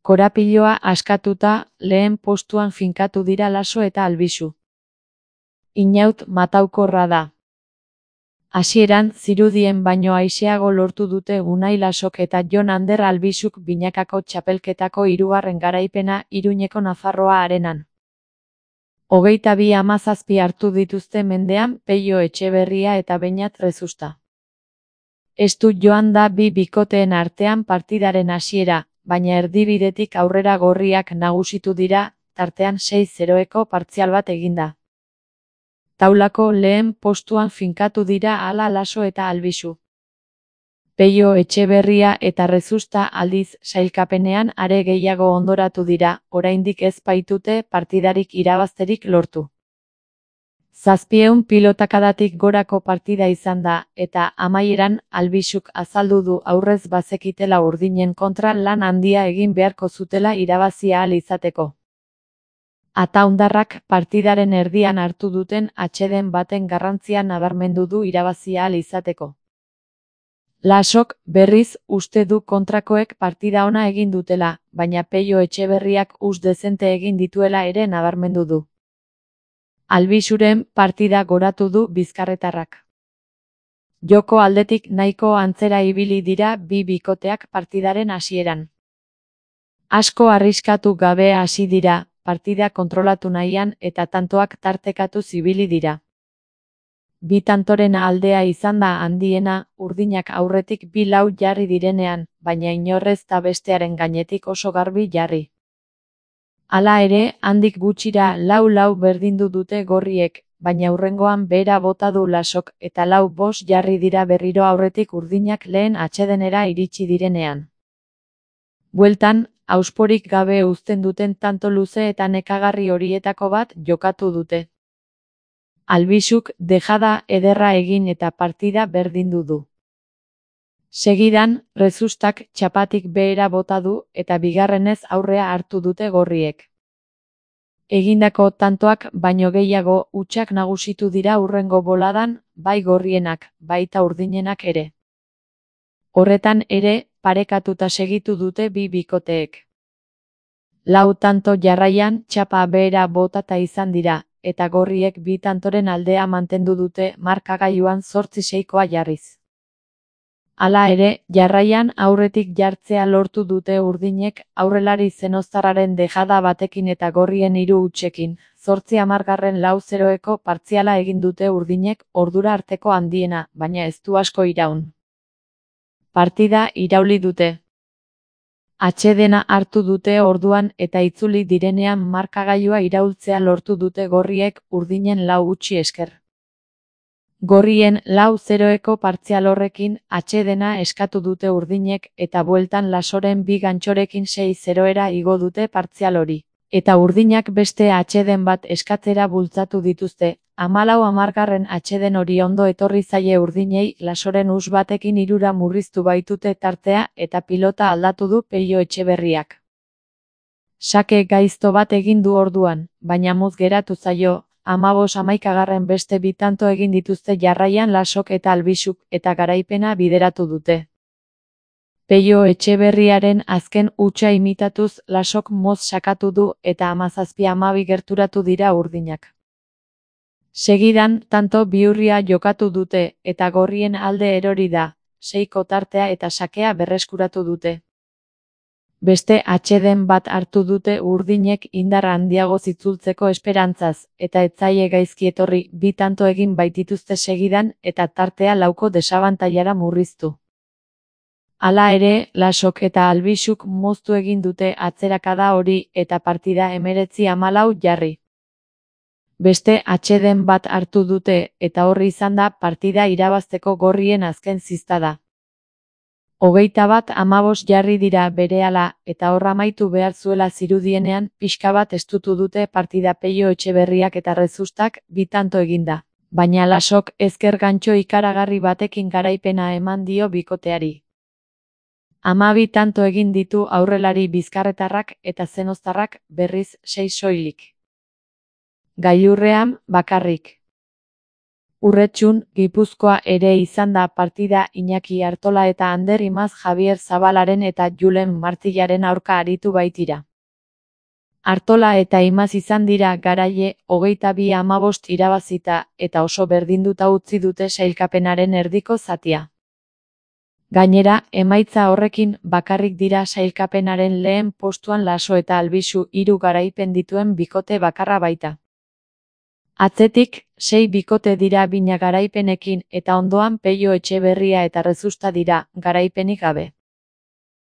Korapiloa askatuta, lehen postuan finkatu dira Laso eta Albisu. Inaut mataukorra da. Hasieran, zirudien baino aiseago lortu dute Unai Lasok eta Jon Ander Albisuk binakako txapelketako 3. garaipena Iruñeko Nafarroa arenan. 22-17 hartu dituzte mendean Pello Etxeberria eta Beñat Rezusta. Estu joan da bi bikoteen artean partidaren hasiera, baina erdibidetik aurrera gorriak nagusitu dira, tartean 6-0eko partzial bat eginda. Taulako lehen postuan finkatu dira hala Laso eta Albisu. Pello Etxeberria eta Rezusta aldiz sailkapenean are gehiago ondoratu dira, oraindik ez baitute partidarik irabazterik lortu. 700 pilotakadatik gorako partida izan da, eta amaieran Albisuk azaldu du aurrez bazekitela urdinen kontra lan handia egin beharko zutela irabazi ahal izateko. Ataundarrak partidaren erdian hartu duten atseden baten garrantzia nabarmendu du irabazi ahal izateko. Lasok, berriz, uste du kontrakoek partida ona egin dutela, baina Pello Etxeberriak dezente egin dituela ere nabarmendu du. Albisuren partida goratu du bizkarretarrak. Joko aldetik nahiko antzera ibili dira bi bikoteak partidaren hasieran. Asko arriskatu gabe hasi dira, partida kontrolatu nahian eta tantoak tartekatu zibili dira. Bi tantoren aldea izan da handiena, urdinak aurretik 2-4 jarri direnean, baina inorrez da bestearen gainetik oso garbi jarri. Hala ere, handik gutxira 4-4 berdindu dute gorriek, baina hurrengoan behera bota du Lasok eta 4-5 jarri dira berriro aurretik urdinak lehen atsedenera iritsi direnean. Bueltan, ausporik gabe uzten duten tanto luze eta nekagarri horietako bat jokatu dute. Albisuk dejada ederra egin eta partida berdindu du. Segidan, Rezustak txapatik behera bota du eta bigarrenez aurrea hartu dute gorriek. Egindako tantoak baino gehiago hutsak nagusitu dira hurrengo boladan, bai gorrienak, baita urdinenak ere. Horretan ere, parekatuta segitu dute bi bikoteek. 4 tanto jarraian txapa behera botata izan dira, eta gorriek bi tantoren aldea mantendu dute markagailuan 8-6koa jarriz. Hala ere, jarraian aurretik jartzea lortu dute urdinek aurrelari zenoztarraren dejada batekin eta gorrien 3 hutsekin, 8-4-4-0eko partziala egin dute urdinek ordura arteko handiena, baina ez du asko iraun. Partida irauli dute. Atsedena hartu dute orduan eta itzuli direnean markagailua iraultzea lortu dute gorriek urdinen 4 gutxi esker. Gorrien 4-0eko partzial horrekin atsedena eskatu dute urdinek eta bueltan Lasoren 2 gantxorekin 6-0era igo dute partzial hori. Eta urdinak beste atseden bat eskatzera bultzatu dituzte, 14 atseden hori ondo etorri zaie urdinei Lasoren batekin 3 murriztu baitute tartea eta pilota aldatu du Pello Etxeberriak. Sake gaizto bat egin du orduan, baina muz geratu zaio, 15-11 beste bi tanto egin dituzte jarraian Lasok eta Albisuk eta garaipena bideratu dute. Pello Etxeberriaren azken hutsa imitatuz Lasok moz sakatu du eta 17-12 gerturatu dira urdinak. Segidan, tanto bihurria jokatu dute eta gorrien alde erori da, 6ko tartea eta sakea berreskuratu dute. Beste atseden bat hartu dute urdinek indar handiago zitzultzeko esperantzaz, eta ez zaie gaizki etorri 2 tanto egin baitituzte segidan eta tartea 4ko desabantailara murriztu. Hala ere, Lasok eta Albisuk moztu egin dute atzerakada hori eta partida 19-14 jarri. Beste atseden bat hartu dute eta horri izan da partida irabazteko gorrien azken ziztada. 21-15 jarri dira berehala eta hor amaitu behar zuela zirudienean pixka bat estutu dute partida Pello Etxeberriak eta Rezustak 2 tanto eginda, baina Lasok ezker gantxo ikaragarri batekin garaipena eman dio bikoteari. 12 tanto egin ditu aurrelari bizkarretarrak eta zenoztarrak berriz 6 soilik. Gailurrean, bakarrik. Urretxun, Gipuzkoa ere izan da partida Iñaki Artola eta Ander Imaz Javier Zabalaren eta Julen Martillaren aurka aritu baitira. Artola eta Imaz izan dira garaile 22-15 irabazita eta oso berdinduta utzi dute sailkapenaren erdiko zatia. Gainera, emaitza horrekin bakarrik dira sailkapenaren lehen postuan Laso eta Albisu 3 garaipen dituen bikote bakarra baita. Atzetik, 6 bikote dira bina garaipenekin eta ondoan Pello Etxeberria eta Rezusta dira, garaipenik gabe.